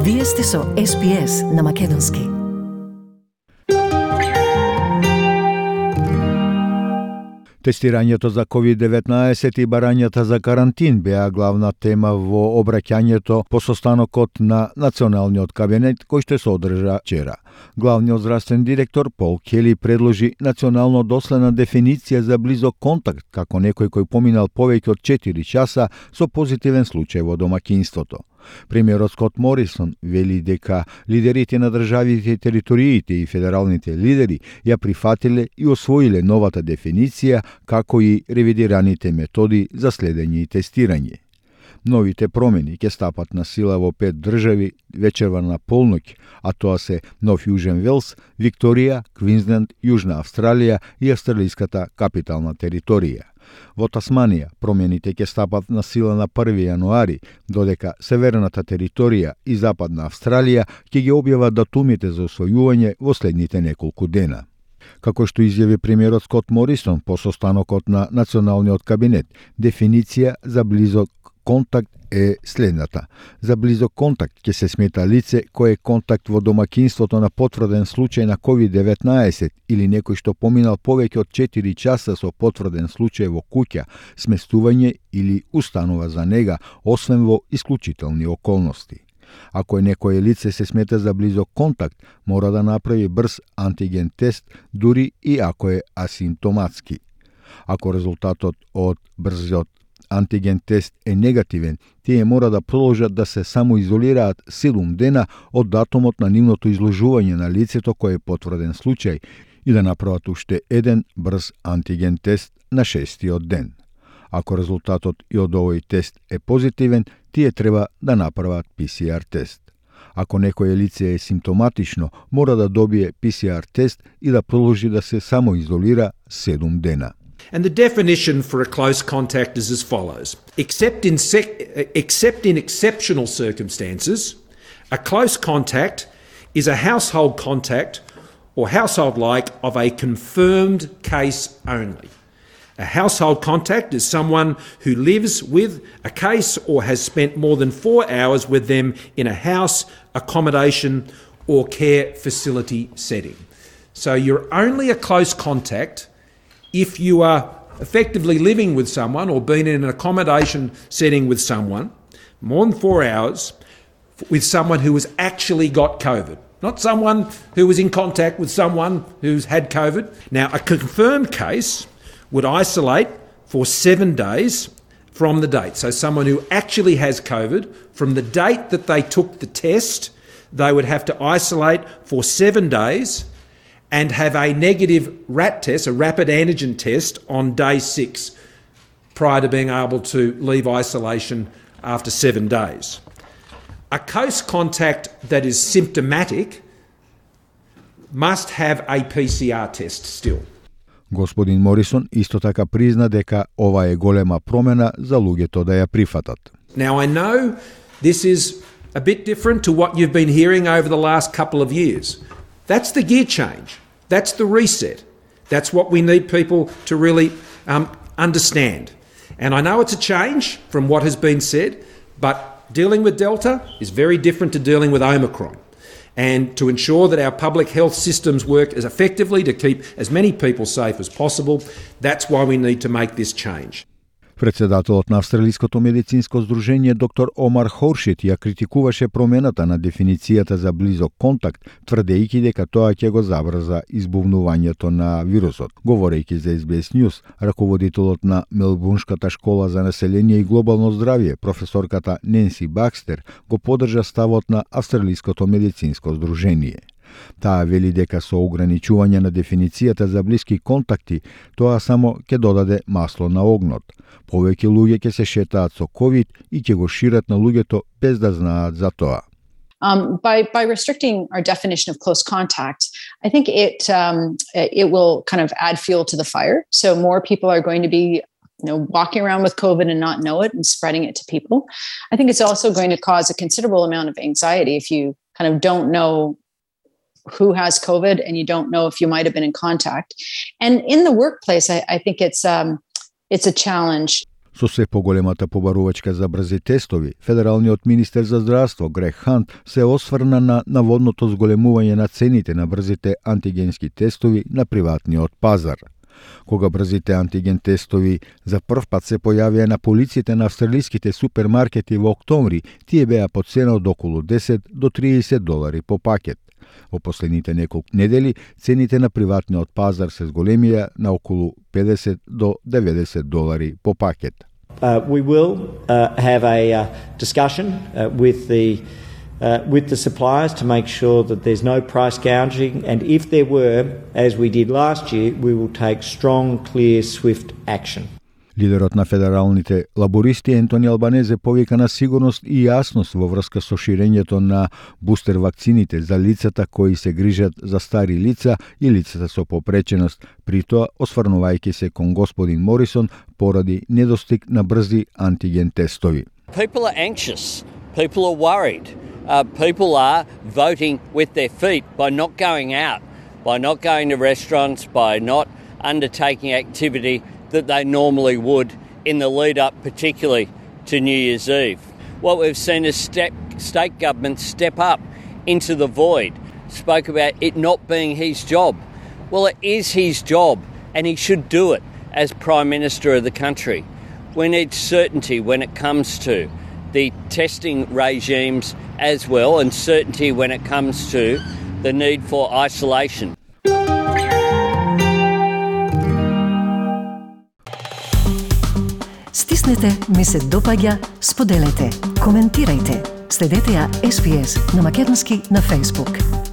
Вие сте со SPS на Македонски. Тестирањето за COVID-19 и барањата за карантин беа главна тема во обраќањето по состанокот на Националниот кабинет кој што се одржа вчера. Главниот здравствен директор Пол Кели предложи национално доследна дефиниција за близок контакт како некој кој поминал повеќе од 4 часа со позитивен случај во домаќинството. Премиерот Скот Морисон вели дека лидерите на државите и териториите и федералните лидери ја прифатиле и освоиле новата дефиниција, како и ревидираните методи за следење и тестирање. Новите промени ќе стапат на сила во 5 држави вечерва на полноќ, а тоа се Нов Јужен Велс, Викторија, Квинсленд, Јужна Австралија и австралиската капитална територија. Во Тасманија промените ќе стапат на сила на 1 јануари, додека Северната територија и Западна Австралија ќе ги објават датумите за усвојување во следните неколку дена. Како што изјави премиерот Скот Морисон по состанокот на Националниот кабинет, дефиниција за близок контакт е следната. За близок контакт ќе се смета лице кое е контакт во домаќинството на потврден случај на COVID-19 или некој што поминал повеќе од 4 часа со потврден случај во куќа, сместување или установа за нега, освен во исклучителни околности. Ако некое лице се смета за близок контакт, мора да направи брз антиген тест, дури и ако е асимптоматски. Ако резултатот од брзиот антиген тест е негативен, тие мора да продолжат да се самоизолираат 7 дена од датумот на нивното изложување на лицето кое е потврден случај и да направат уште еден брз антиген тест на 6-тиот ден. Ако резултатот и од овој тест е позитивен, тие треба да направат PCR тест. Ако некое лице е симптоматично, мора да добие PCR тест и да продолжи да се самоизолира 7 дена. And the definition for a close contact is as follows. Except in exceptional circumstances, a close contact is a household contact or household-like of a confirmed case only. A household contact is someone who lives with a case or has spent more than 4 hours with them in a house, accommodation or care facility setting. So you're only a close contact if you are effectively living with someone or been in an accommodation setting with someone more than 4 hours with someone who has actually got COVID, not someone who was in contact with someone who's had COVID. Now, a confirmed case would isolate for 7 days from the date. So someone who actually has COVID, from the date that they took the test, they would have to isolate for 7 days and have a negative RAT test, a rapid antigen test, on day 6 prior to being able to leave isolation after 7 days. A close contact that is symptomatic must have a PCR test still. Господин Морисон исто така призна дека ова е голема промена за луѓето да ја прифатат. Now I know this is a bit different to what you've been hearing over the last couple of years. That's the gear change. That's the reset. That's what we need people to really understand. And I know it's a change from what has been said, but dealing with Delta is very different to dealing with Omicron. And to ensure that our public health systems work as effectively to keep as many people safe as possible, that's why we need to make this change. Председателот на Австралиското медицинско здружение доктор Омар Хоршит ја критикуваше промената на дефиницијата за близок контакт, тврдејќи дека тоа ќе го забрза избувнувањето на вирусот. Говорејќи за SBS News, раководителот на Мелбурнската школа за население и глобално здравје, професорката Ненси Бакстер, го поддржа ставот на Австралиското медицинско здружение. Таа вели дека со ограничување на дефиницијата за блиски контакти, тоа само ќе додаде масло на огнот. Повеќе луѓе ќе се шетаат со COVID и ќе го шират на луѓето без да знаат за тоа. By restricting our definition of close contact, I think it will kind of add fuel to the fire. So more people are going to be walking around with COVID and not know it and spreading it to people. I think it's also going to cause a considerable amount of anxiety if you kind of don't know who has COVID and you don't know if you might have been in contact. And in the workplace, I think it's a challenge. Со се поголемата побарувачка за брзи тестови, федералниот министер за здравство Грег Хант се осврна на наводното зголемување на цените на брзите антигенски тестови на приватниот пазар. Кога брзите антиген тестови за прв пат се појавија на полиците на австралиските супермаркети во октомври, тие беа по цена од околу 10 до 30 долари по пакет. Во последните неколку недели цените на приватниот пазар се зголемија на околу 50 до 90 долари по пакет. We will have a discussion with the suppliers to make sure that there's no price gouging, and if there were, as we did last year, we will take strong, clear, swift action. Лидерот на федералните лабористи Ентони Албанезе повика на сигурност и јасност во врска со ширењето на бустер вакцините за лицата кои се грижат за стари лица и лицата со попреченост, при тоа осврнувајќи се кон господин Морисон поради недостиг на брзи антиген тестови. People are anxious. People are worried. People are voting with their feet by not going out, by not going to restaurants, by not undertaking activity that they normally would in the lead up particularly to New Year's Eve. What we've seen is state governments step up into the void, spoke about it not being his job. Well, it is his job and he should do it as Prime Minister of the country. We need certainty when it comes to the testing regimes as well, and certainty when it comes to the need for isolation. Стиснете, ми се допаѓа, споделете, коментирајте. Следете ја SPS на Македонски на Facebook.